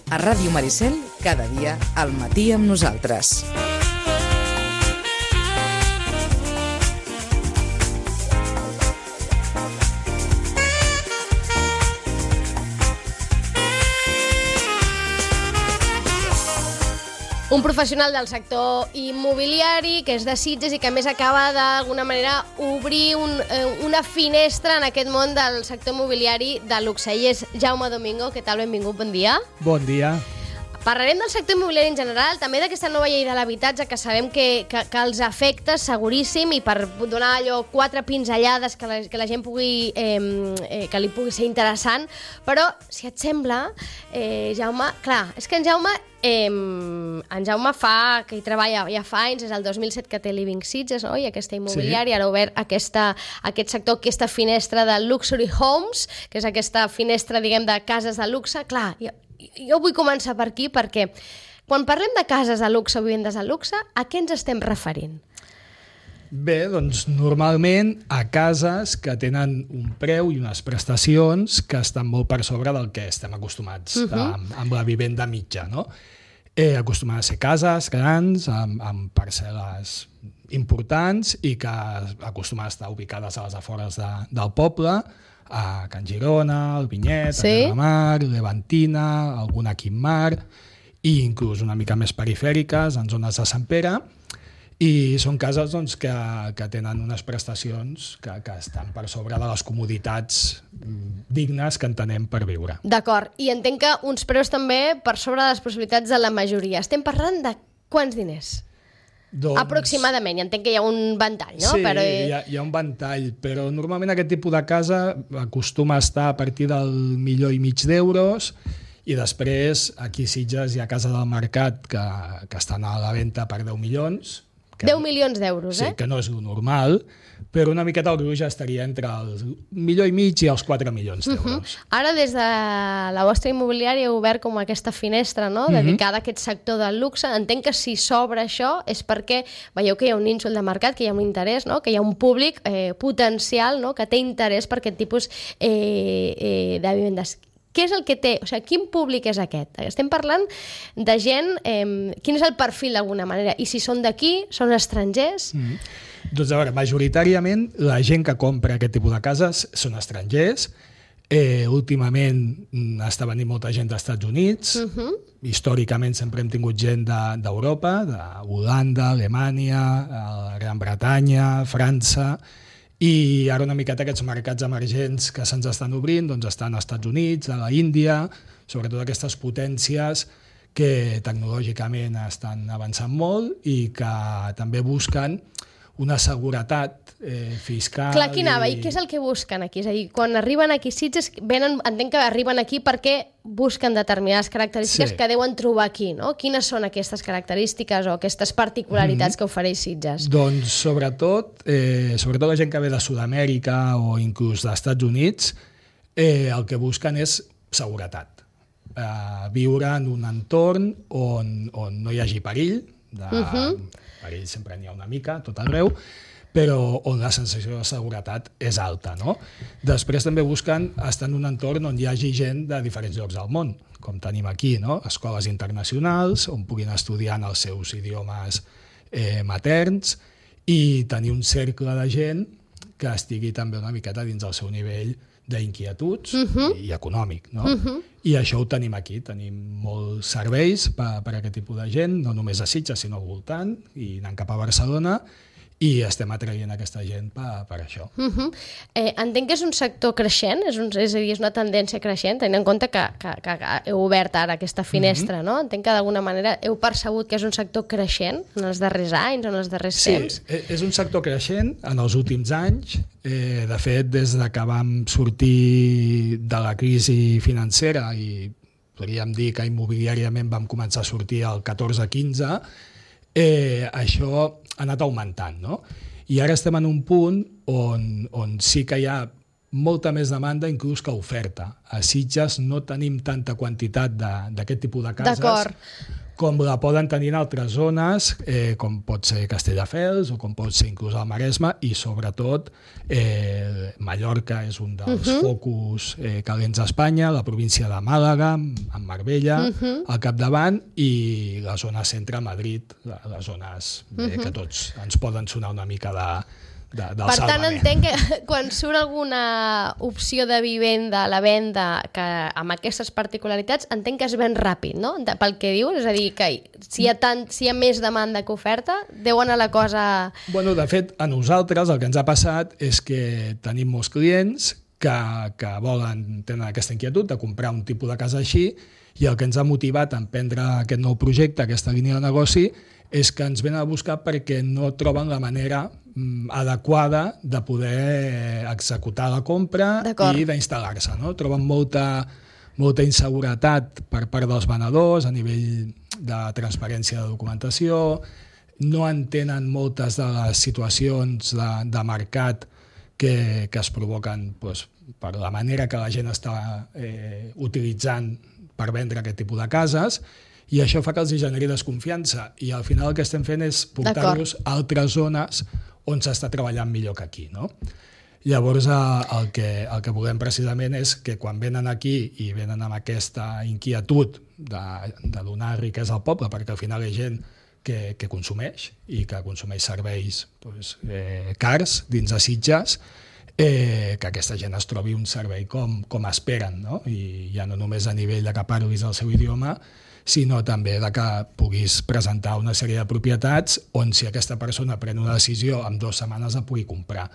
A Ràdio Maricel, cada dia al matí amb nosaltres. Un professional del sector immobiliari que és de Sitges i que a més acaba d'alguna manera obrir una finestra en aquest món del sector immobiliari de luxe. I és Jaume Domingo. Què tal? Benvingut, bon dia. Bon dia. Parlarem del sector immobiliari en general, també d'aquesta nova llei de l'habitatge que sabem que els afecta seguríssim, i per donar allò 4 pinzellades que la gent pugui, que li pugui ser interessant. Però, si et sembla, Jaume, clar, és que en Jaume fa, que hi treballa ja fa anys, és el 2007 que té Living Sitges, no? I aquesta immobiliària, sí. Ara ha obert aquest sector, aquesta finestra de Luxury Homes, que és aquesta finestra, diguem, de cases de luxe. Clar, jo vull començar per aquí perquè quan parlem de cases de luxe o vivendes de luxe, a què ens estem referint? Bé, doncs normalment a cases que tenen un preu i unes prestacions que estan molt per sobre del que estem acostumats amb la vivenda mitja, no? Acostumen a ser cases grans, amb parcel·les importants i que acostumen a estar ubicades a les afores del poble, a Can Girona, al Vinyet, sí. A Calamar, Levantina, alguna aquí en Mar, i inclús una mica més perifèriques, en zones de Sant Pere, i són cases doncs, que tenen unes prestacions que estan per sobre de les comoditats dignes que entenem per viure. D'acord, i entenc que uns preus també per sobre de les possibilitats de la majoria. Estem parlant de quants diners? Doncs... aproximadament, entenc que hi ha un ventall, no? Sí, però... hi ha un ventall, però normalment aquest tipus de casa acostuma a estar a partir del 1,5 milió d'euros, i després aquí a Sitges hi ha cases del mercat que estan a la venda per 10 milions. 10 milions d'euros, Sí, que no és lo normal, però una miqueta el gruix estaria entre els 1,5 milions i els 4 milions d'euros. Ara, des de la vostra immobiliària heu obert com aquesta finestra, no?, dedicada a aquest sector del luxe. Entenc que si s'obre això és perquè veieu que hi ha un nínxol de mercat, que hi ha un interès, no?, que hi ha un públic potencial, no?, que té interès per aquest tipus de vivendes. Què és el que té? O sigui, quin públic és aquest? Estem parlant de gent... quin és el perfil, d'alguna manera? I si són d'aquí, són estrangers? Doncs a veure, majoritàriament la gent que compra aquest tipus de cases són estrangers. Últimament està venint molta gent dels Estats Units. Històricament sempre hem tingut gent d'Europa, d'Holanda, Alemanya, Gran Bretanya, França... I ara una miqueta aquests mercats emergents que se'ns estan obrint doncs estan als Estats Units, a la Índia, sobretot aquestes potències que tecnològicament estan avançant molt i que també busquen una seguretat fiscal. Clar, aquí anava. I què és el que busquen aquí? És a dir, quan arriben aquí a Sitges, entenc que arriben aquí perquè busquen determinades característiques que deuen trobar aquí, no? Quines són aquestes característiques o aquestes particularitats que ofereix Sitges? Doncs sobretot la gent que ve de Sud-amèrica o inclús dels Estats Units, el que busquen és seguretat. Viure en un entorn on no hi hagi perill, perill sempre n'hi ha una mica, tot arreu, però on la sensació de seguretat és alta, no? Després també busquen estar en un entorn on hi hagi gent de diferents llocs del món, com tenim aquí, no? Escoles internacionals, on puguin estudiar en els seus idiomes materns i tenir un cercle de gent que estigui també una miqueta dins del seu nivell d'inquietuds i econòmic, no? I això ho tenim aquí, tenim molts serveis per a aquest tipus de gent, no només a Sitges, sinó al voltant, i anant cap a Barcelona, i estem atraient aquesta gent per això. Entenc que és un sector creixent, és a dir, és una tendència creixent, tenint en compte que heu obert ara aquesta finestra, no? Entenc que d'alguna manera heu percebut que és un sector creixent en els darrers anys o en els darrers temps. Sí, és un sector creixent en els últims anys. De fet, des de que vam sortir de la crisi financera i podríem dir que immobiliàriament vam començar a sortir el 14-15, això ha anat augmentant, no? I ara estem en un punt on sí que hi ha molta més demanda inclús que oferta. A Sitges no tenim tanta quantitat d'aquest tipus de cases com la poden tenir en altres zones, com pot ser Castelldefels o com pot ser inclús el Maresme, i sobretot Mallorca és un dels focus calents d'Espanya, la província de Màlaga, amb Marbella al capdavant, i la zona centre, Madrid, les zones que tots ens poden sonar una mica del Per tant, salvament. entenc que quan surt alguna opció de vivenda a la venda que amb aquestes particularitats, entenc que es ven ràpid, no? Pel que dius, és a dir, que si hi ha més demanda que oferta, deu anar la cosa... Bueno, de fet, a nosaltres el que ens ha passat és que tenim molts clients que tenen aquesta inquietud de comprar un tipus de casa així, i el que ens ha motivat a emprendre aquest nou projecte, aquesta línia de negoci, és que ens venen a buscar perquè no troben la manera adequada de poder executar la compra i d'instal·lar-se, no? Troben molta inseguretat per part dels venedors a nivell de transparència de documentació, no entenen moltes de les situacions de mercat que es provoquen per la manera que la gent està utilitzant per vendre aquest tipus de cases, i això fa que els generi desconfiança, i al final el que estem fent és portar-los a altres zones on s'està treballant millor que aquí, no? Llavors el que volem precisament és que quan venen aquí i venen amb aquesta inquietud de donar riquesa al poble, perquè al final hi ha gent que consumeix i que consumeix serveis cars dins de Sitges, que aquesta gent es trobi un servei com esperen, no? I ja no només a nivell de que parlis el seu idioma, sinó també de que puguis presentar una sèrie de propietats on, si aquesta persona pren una decisió, en 2 setmanes la pugui comprar,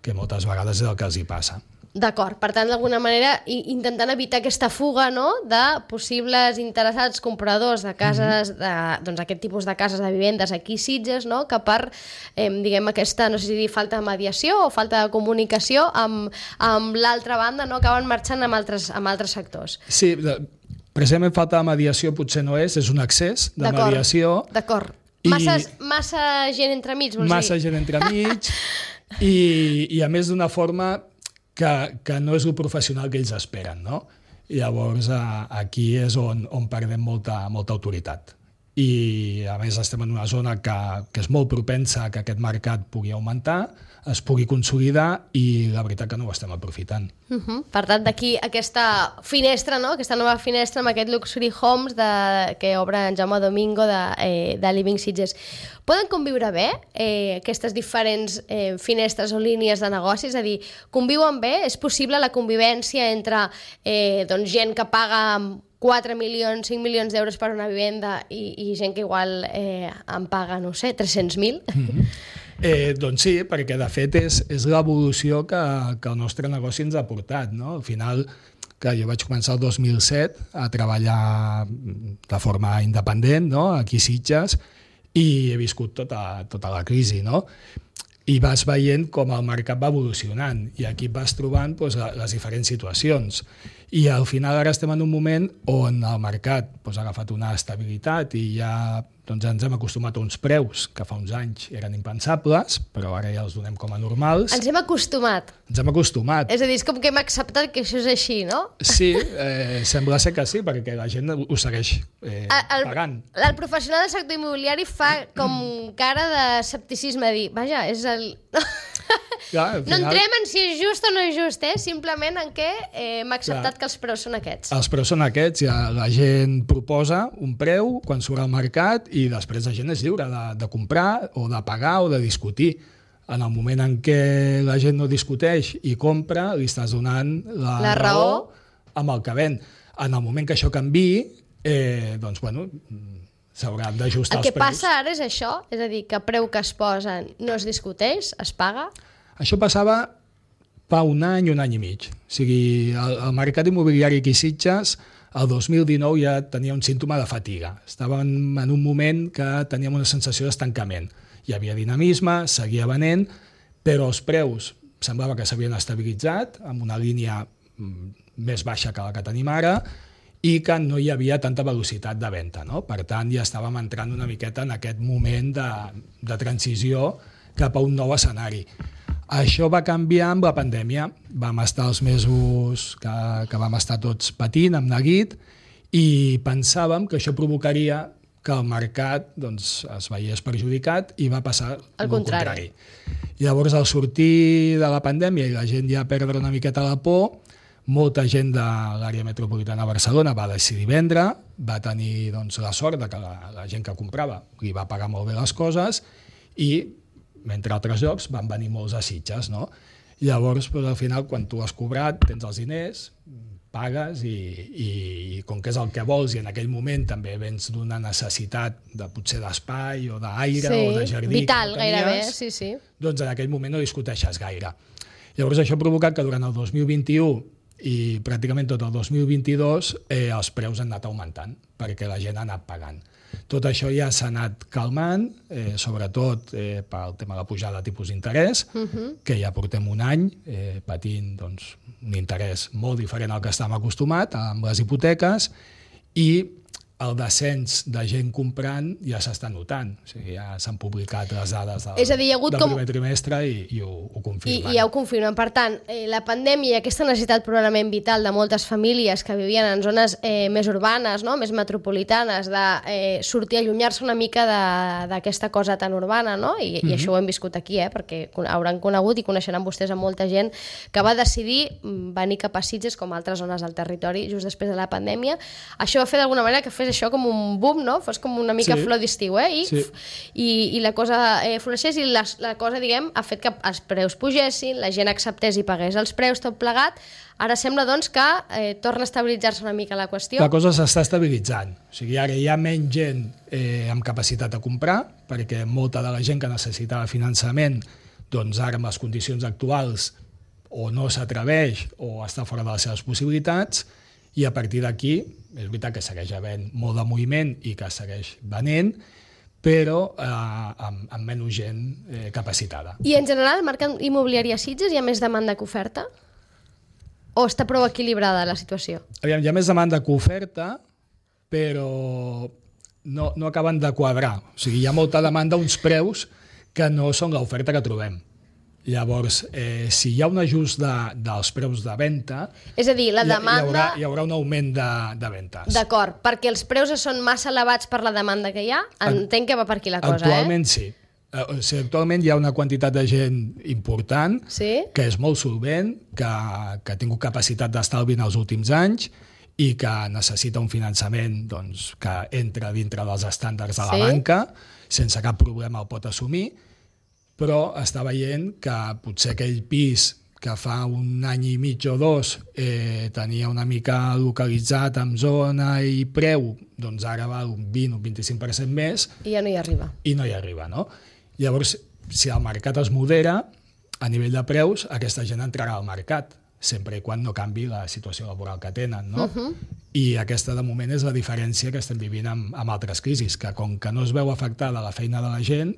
que moltes vegades és el que els hi passa. D'acord, per tant, d'alguna manera, intentant evitar aquesta fuga, no?, de possibles interessats compradors de cases, aquest tipus de cases de vivendes aquí a Sitges, no?, que per, diguem, aquesta, no sé si dir, falta de mediació o falta de comunicació amb l'altra banda, no?, acaben marxant amb altres sectors. Sí, precisament falta de mediació potser no és un excés de mediació. D'acord. Massa gent entremig, vols dir? Massa gent entremig i a més d'una forma que no és el professional que ells esperen, no? I llavors aquí és on perdem molta autoritat. I a més estem en una zona que és molt propensa a que aquest mercat pugui augmentar, es pugui consolidar, i la veritat que no ho estem aprofitant. Per tant, d'aquí aquesta finestra, no?, aquesta nova finestra amb aquest Luxury Homes que obre en Jaume Domingo de Living Sitges. Poden conviure bé aquestes diferents finestres o línies de negoci? És a dir, conviuen bé? És possible la convivència entre gent que paga 4 milions, 5 milions d'euros per una vivenda i gent que igual en paga, no sé, 300.000? Doncs sí, perquè de fet és l'evolució que el nostre negoci ens ha portat, no? Al final, que jo vaig començar el 2007 a treballar de forma independent, no?, aquí a Sitges, i he viscut tota la crisi, no? I vas veient com el mercat va evolucionant, i aquí vas trobant les diferents situacions. I al final ara estem en un moment on el mercat ha agafat una estabilitat i ja ens hem acostumat a uns preus que fa uns anys eren impensables, però ara ja els donem com a normals. Ens hem acostumat. Ens hem acostumat. És a dir, és com que hem acceptat que això és així, no? Sí, sembla ser que sí, perquè la gent ho segueix pagant. El professional del sector immobiliari fa com cara d'escepticisme, dir, vaja, és el... Clar, no entrem en si és just o no és just, simplement en què hem acceptat que els preus són aquests. Els preus són aquests, la gent proposa un preu quan surt al mercat i després la gent és lliure de comprar o de pagar o de discutir. En el moment en què la gent no discuteix i compra, li estàs donant la raó amb el que ven. En el moment que això canviï, doncs, bueno, s'hauran d'ajustar els preus. El que passa ara és això, és a dir, que el preu que es posen no es discuteix, es paga. Això passava fa un any i mig. O sigui, el mercat immobiliari aquí a Sitges, el 2019 ja tenia un símptoma de fatiga. Estàvem en un moment que teníem una sensació d'estancament. Hi havia dinamisme, seguia venent, però els preus semblava que s'havien estabilitzat amb una línia més baixa que la que tenim ara, i que no hi havia tanta velocitat de venda, no? Per tant, ja estàvem entrant una miqueta en aquest moment de transició cap a un nou escenari. Això va canviar amb la pandèmia. Vam estar els mesos que vam estar tots patint amb neguit, i pensàvem que això provocaria que el mercat doncs, es veiés perjudicat i va passar el contrari. Llavors, al sortir de la pandèmia i la gent ja perdre una miqueta la por, molta gent de l'àrea metropolitana de Barcelona va decidir vendre, va tenir doncs, la sort de que la gent que comprava li va pagar molt bé les coses i, entre altres llocs, van venir molts a Sitges, no? Llavors, doncs, al final, quan tu has cobrat, tens els diners, pagues i com que és el que vols i en aquell moment també vens d'una necessitat de potser d'espai o d'aire o de jardí vital, que no tenies, gairebé, sí. Doncs en aquell moment no discuteixes gaire. Llavors això ha provocat que durant el 2021 i pràcticament tot el 2022 els preus han anat augmentant perquè la gent ha anat pagant. Tot això ja s'ha anat calmant, sobretot pel tema de la pujada de tipus d'interès, que ja portem un any patint doncs, un interès molt diferent al que estàvem acostumats amb les hipoteques i el descens de gent comprant ja s'està notant. O sigui, ja s'han publicat les dades del primer trimestre i ho confirmen. I ja ho confirmen. Per tant, la pandèmia i aquesta necessitat probablement vital de moltes famílies que vivien en zones més urbanes, no? Més metropolitanes, de sortir, allunyar-se una mica d'aquesta cosa tan urbana, no? I això ho hem viscut aquí, perquè hauran conegut i coneixeran vostès a molta gent que va decidir venir cap a Sitges com a altres zones del territori just després de la pandèmia. Això va fer d'alguna manera que fes això com un boom, no? Fos com una mica flor d'estiu, i la cosa floreixés i la cosa, diguem, ha fet que els preus pugessin, la gent acceptés i pagués els preus, tot plegat. Ara sembla, doncs, que torna a estabilitzar-se una mica la qüestió. La cosa s'està estabilitzant. O sigui, ara hi ha menys gent amb capacitat de comprar, perquè molta de la gent que necessitava finançament, doncs ara amb les condicions actuals o no s'atreveix o està fora de les seves possibilitats, i a partir d'aquí, és veritat que segueix havent molt de moviment i que segueix venent, però amb menys gent capacitada. I en general, el mercat immobiliari a Sitges hi ha més demanda que oferta? O està prou equilibrada la situació? Aviam, hi ha més demanda que oferta, però no acaben de quadrar. O sigui, hi ha molta demanda a uns preus que no són l'oferta que trobem. Llavors, si hi ha un ajust dels preus de venda, és a dir, la demanda... hi haurà un augment de ventes. D'acord, perquè els preus són massa elevats per la demanda que hi ha? Entenc que va per aquí la cosa, Actualment sí. O sigui, actualment hi ha una quantitat de gent important que és molt solvent, que ha tingut capacitat d'estalvi en els últims anys i que necessita un finançament doncs, que entra dintre dels estàndards de la banca, sense cap problema el pot assumir, però està veient que potser aquell pis que fa un any i mig o dos tenia una mica localitzat amb zona i preu, doncs ara val un 20 o 25% més. I ja no hi arriba. I no hi arriba, no? Llavors, si el mercat es modera, a nivell de preus, aquesta gent entrarà al mercat, sempre i quan no canvi la situació laboral que tenen, no? I aquesta, de moment, és la diferència que estem vivint amb altres crisis, que com que no es veu afectada la feina de la gent,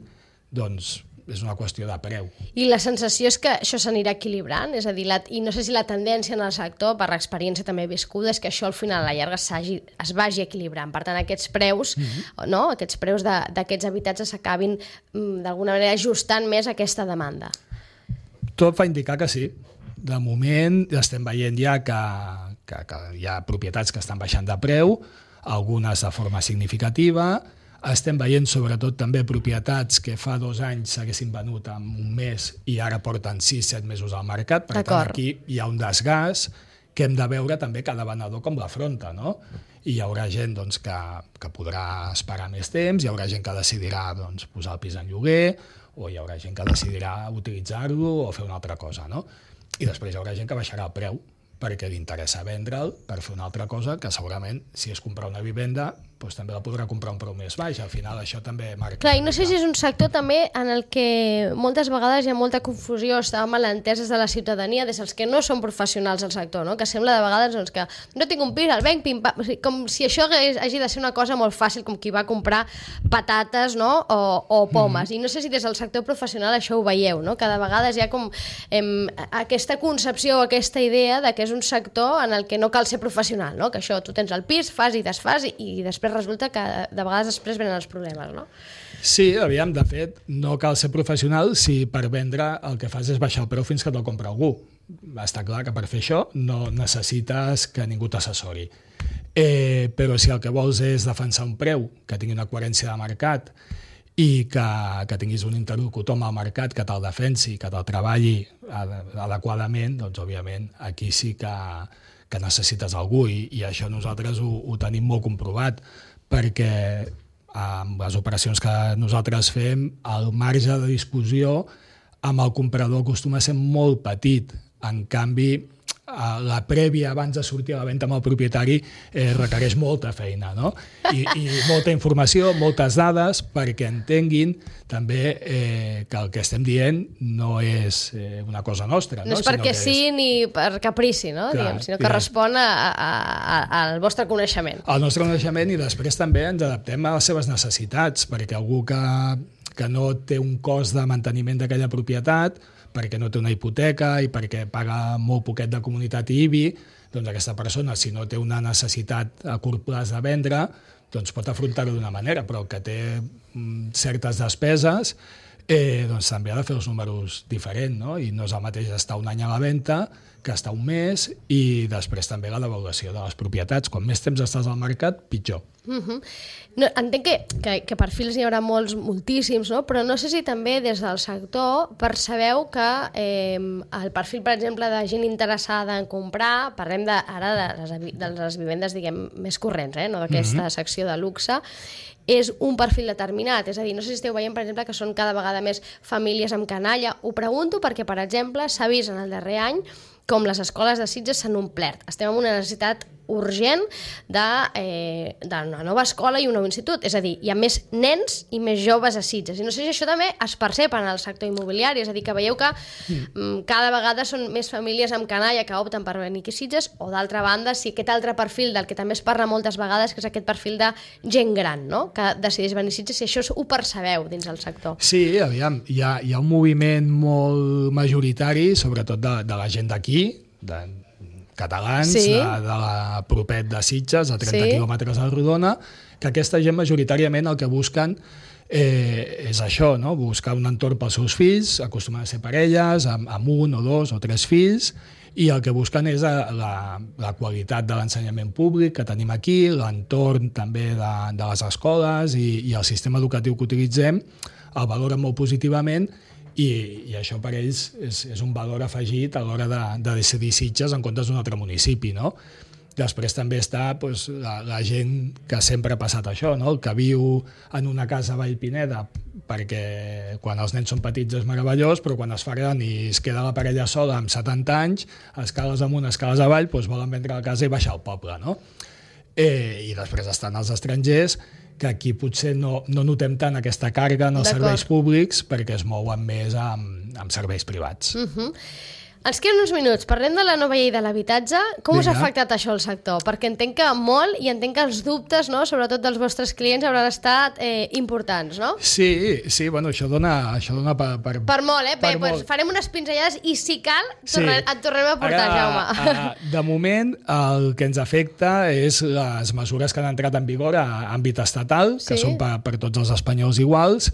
doncs és una qüestió de preu. I la sensació és que això s'anirà equilibrant? És a dir, i no sé si la tendència en el sector, per l'experiència també viscuda, és que això al final a la llarga es vagi equilibrant. Per tant, aquests preus, aquests preus d'aquests habitatges s'acabin d'alguna manera ajustant més a aquesta demanda. Tot fa indicar que sí. De moment estem veient ja que hi ha propietats que estan baixant de preu, algunes de forma significativa. Estem veient sobretot també propietats que fa 2 anys s'haguessin venut en un mes i ara porten 6-7 mesos al mercat. Per tant, aquí hi ha un desgast que hem de veure també cada venedor com l'afronta, no? I hi haurà gent doncs, que podrà esperar més temps, hi haurà gent que decidirà doncs, posar el pis en lloguer, o hi haurà gent que decidirà utilitzar-lo o fer una altra cosa, no? I després hi haurà gent que baixarà el preu perquè li interessa vendre'l per fer una altra cosa que segurament, si és comprar una vivenda, doncs també la podrà comprar un preu més baix. Al final això també marca... Clar, i no sé si és un sector també en el que moltes vegades hi ha molta confusió, està malenteses de la ciutadania, des dels que no són professionals del sector, no? Que sembla de vegades doncs, que no tinc un pis, el venc, pim-pam, com si això hagi de ser una cosa molt fàcil, com qui va comprar patates, no? o pomes. I no sé si des del sector professional això ho veieu, no? Cada vegada hi ha com aquesta concepció, aquesta idea de que és un sector en el que no cal ser professional, no? Que això, tu tens el pis, fas i desfas i després resulta que de vegades després venen els problemes, no? Sí, aviam, de fet, no cal ser professional si per vendre el que fas és baixar el preu fins que te'l compra algú. Està clar que per fer això no necessites que ningú t'assessori. però si el que vols és defensar un preu que tingui una coherència de mercat i que tinguis un interlocutor amb el mercat que te'l defensi, que te'l treballi adequadament, doncs òbviament aquí sí que necessites algú i això nosaltres ho tenim molt comprovat, perquè amb les operacions que nosaltres fem el marge de discussió amb el comprador acostuma a ser molt petit. En canvi, la prèvia abans de sortir a la venda amb el propietari requereix molta feina, no? I molta informació, moltes dades, perquè entenguin també que el que estem dient no és una cosa nostra. No és perquè sí ni per caprici, no? Sinó que respon al vostre coneixement. Al nostre coneixement, i després també ens adaptem a les seves necessitats, perquè algú que no té un cost de manteniment d'aquella propietat, perquè no té una hipoteca i perquè paga molt poquet de comunitat i IBI, doncs aquesta persona, si no té una necessitat a curt plaç de vendre, doncs pot afrontar-ho d'una manera, però el que té certes despeses, doncs també ha de fer els números diferents, no? I no és el mateix estar un any a la venda que estar un mes, i després també la devaluació de les propietats. Quan més temps estàs al mercat, pitjor. No, entenc que perfils hi haurà moltíssims, no? Però no sé si també des del sector percebeu que el perfil, per exemple, de gent interessada en comprar, parlem ara de les vivendes, diguem, més corrents, no d'aquesta secció de luxe, és un perfil determinat. És a dir, no sé si esteu veient, per exemple, que són cada vegada més famílies amb canalla. Ho pregunto perquè, per exemple, s'ha vist en el darrer any com les escoles de Sitges s'han omplert. Estem en una necessitat urgent d'una nova escola i un nou institut. És a dir, hi ha més nens i més joves a Sitges. I no sé si això també es percep en el sector immobiliari. És a dir, que veieu que cada vegada són més famílies amb canalla que opten per venir aquí a Sitges, o d'altra banda, si aquest altre perfil del que també es parla moltes vegades, que és aquest perfil de gent gran, no? Que decideix venir a Sitges, si això ho percebeu dins del sector. Sí, aviam, hi ha un moviment molt majoritari, sobretot de la gent d'aquí, de catalans, sí, de la propet de Sitges, a 30 quilòmetres a Rodona, que aquesta gent majoritàriament el que busquen és això, no? Buscar un entorn pels seus fills, acostumen a ser parelles, amb un o dos o tres fills, i el que busquen és la qualitat de l'ensenyament públic que tenim aquí, l'entorn també de les escoles i el sistema educatiu que utilitzem, el valoren molt positivament, i això per ells és un valor afegit a l'hora de decidir Sitges en comptes d'un altre municipi, no? Després també està la gent que sempre ha passat això, no? El que viu en una casa a Vallpineda perquè quan els nens són petits és meravellós, però quan es fa gran i es queda la parella sola amb 70 anys, escales amunt, escales avall, volen vendre la casa i baixar al poble, no? I després estan els estrangers, que aquí potser no notem tant aquesta càrrega en els serveis públics perquè es mouen més amb serveis privats. Ens queden uns minuts. Parlem de la nova llei de l'habitatge. Com us ha afectat això al sector? Perquè entenc que molt, i entenc que els dubtes, no?, sobretot dels vostres clients, hauran estat importants, no? Sí, bueno, això dona per molt, Bé, doncs farem unes pinzellades i, si cal, et tornem a portar, Jaume. De moment, el que ens afecta és les mesures que han entrat en vigor a àmbit estatal, que són per tots els espanyols iguals,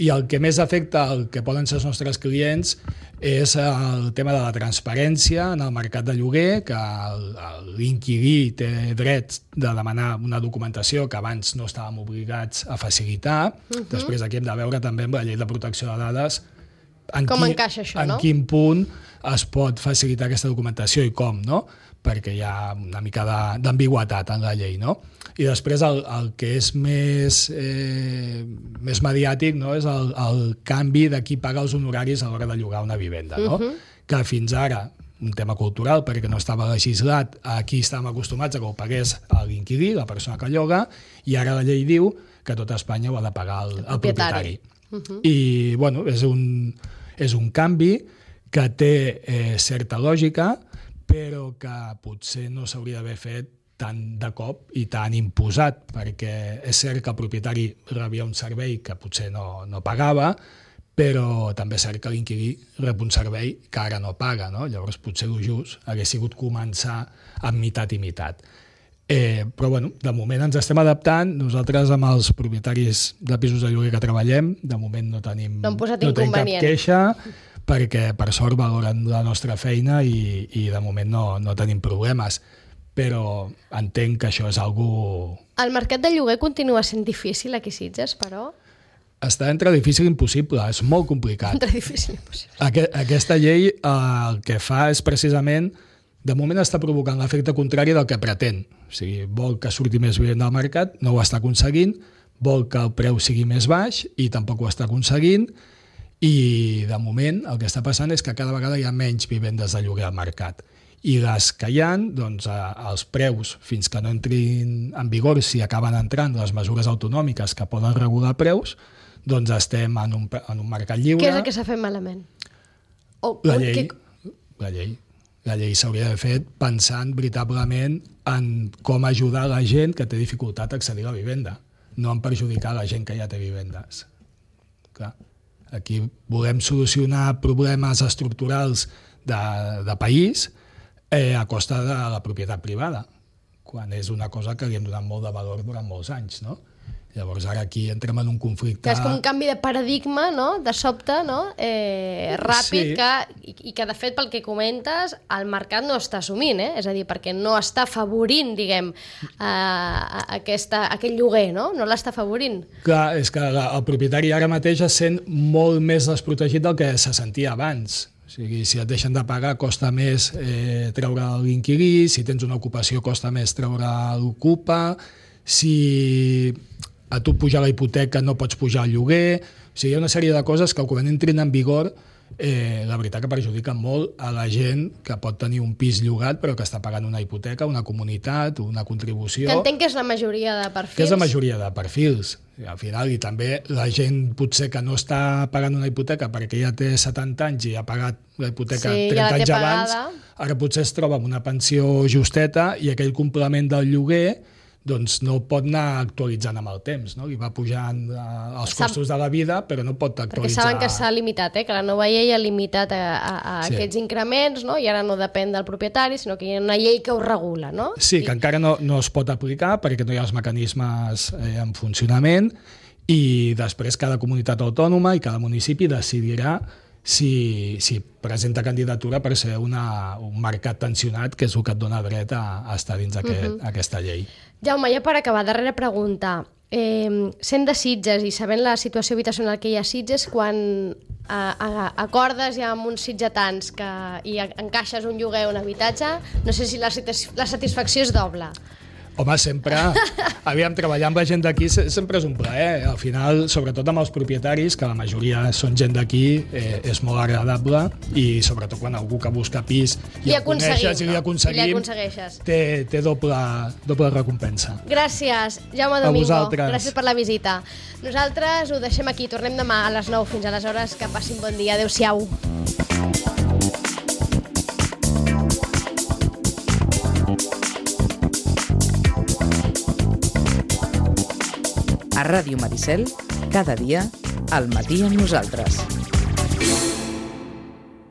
i el que més afecta el que poden ser els nostres clients és el tema de la transparència en el mercat de lloguer, que l'inquilí té dret de demanar una documentació que abans no estàvem obligats a facilitar. Després aquí hem de veure també amb la llei de protecció de dades com encaixa això, no? En quin punt es pot facilitar aquesta documentació i com, no? Perquè hi ha una mica d'ambigüitat en la llei, no? I després el que és més mediàtic, no?, és el canvi de qui paga els honoraris a l'hora de llogar una vivenda, no? Que fins ara, un tema cultural, perquè no estava legislat, aquí estàvem acostumats a que ho pagués l'inquilí, la persona que lloga, i ara la llei diu que tot Espanya ho ha de pagar el propietari. I, bueno, és un canvi que té certa lògica, però que potser no s'hauria d'haver fet tan de cop i tan imposat, perquè és cert que el propietari rebia un servei que potser no pagava, però també és cert que l'inquilí rep un servei que ara no paga, no? Llavors potser el just hagués sigut començar amb meitat i meitat. Però bueno, de moment ens estem adaptant. Nosaltres amb els propietaris de pisos de lloguer que treballem, de moment no tenim cap queixa, perquè per sort valoren la nostra feina i de moment no tenim problemes. però entenc que això és algo... El mercat de lloguer continua sent difícil aquí a Sitges, però... Està entre difícil i impossible, és molt complicat. Entre difícil i impossible. Aquesta llei el que fa és precisament, de moment està provocant l'efecte contrari del que pretén. O sigui, vol que surti més vivenda al mercat, no ho està aconseguint, vol que el preu sigui més baix i tampoc ho està aconseguint, i de moment el que està passant és que cada vegada hi ha menys vivendes de lloguer al mercat. I les que hi ha, doncs, els preus, fins que no entrin en vigor, si acaben entrant les mesures autonòmiques que poden regular preus, doncs estem en un mercat lliure. Què és el que s'ha fet malament? La llei s'hauria de fer pensant veritablement en com ajudar la gent que té dificultat a accedir a la vivenda, no en perjudicar la gent que ja té vivendes. Clar, aquí volem solucionar problemes estructurals de país a costa de la propietat privada, quan és una cosa que li hem donat molt de valor durant molts anys, no? Llavors ara aquí entrem en un conflicte... Que és com un canvi de paradigma, no?, de sobte, no?, ràpid, sí. I que de fet, pel que comentes, el mercat no està assumint, és a dir, perquè no està afavorint, diguem, aquest lloguer, no?, no l'està afavorint. Clar, és que el propietari ara mateix es sent molt més desprotegit del que se sentia abans. O sigui, si et deixen de pagar costa més treure l'inquilí, si tens una ocupació costa més treure l'ocupa, si a tu pujar la hipoteca no pots pujar el lloguer, o sigui, hi ha una sèrie de coses que quan entrin en vigor la veritat que perjudiquen molt a la gent que pot tenir un pis llogat però que està pagant una hipoteca, una comunitat, una contribució... Que entenc que és la majoria de perfils. Que és la majoria de perfils. Al final, i també la gent potser que no està pagant una hipoteca perquè ja té 70 anys i ha pagat la hipoteca 30 anys abans, ara potser es troba amb una pensió justeta i aquell complement del lloguer doncs no pot anar actualitzant amb el temps, no? I va pujant els costos de la vida, però no pot actualitzar... Perquè saben que s'ha limitat, que la nova llei ha limitat a aquests increments, no? I ara no depèn del propietari, sinó que hi ha una llei que ho regula, no? Sí, que encara no es pot aplicar perquè no hi ha els mecanismes en funcionament i després cada comunitat autònoma i cada municipi decidirà si presenta candidatura per ser un mercat tensionat, que és el que et dona dret a estar dins aquesta llei. Jaume, ja per acabar, darrera pregunta. Sent de Sitges i sabent la situació habitacional que hi ha a Sitges, quan acordes ja amb uns sitgetans i encaixes un lloguer o un habitatge, no sé si la satisfacció és doble. Home, sempre, aviam, treballar amb la gent d'aquí sempre és un plaer. Al final, sobretot amb els propietaris, que la majoria són gent d'aquí, és molt agradable i sobretot quan algú que busca pis i el coneixes i li aconseguim, té doble recompensa. Gràcies, Jaume Domingo. Gràcies per la visita. Nosaltres ho deixem aquí, tornem demà a les 9. Fins aleshores, que passin bon dia. Adéu-siau. A Ràdio Maricel, cada dia, al matí amb nosaltres.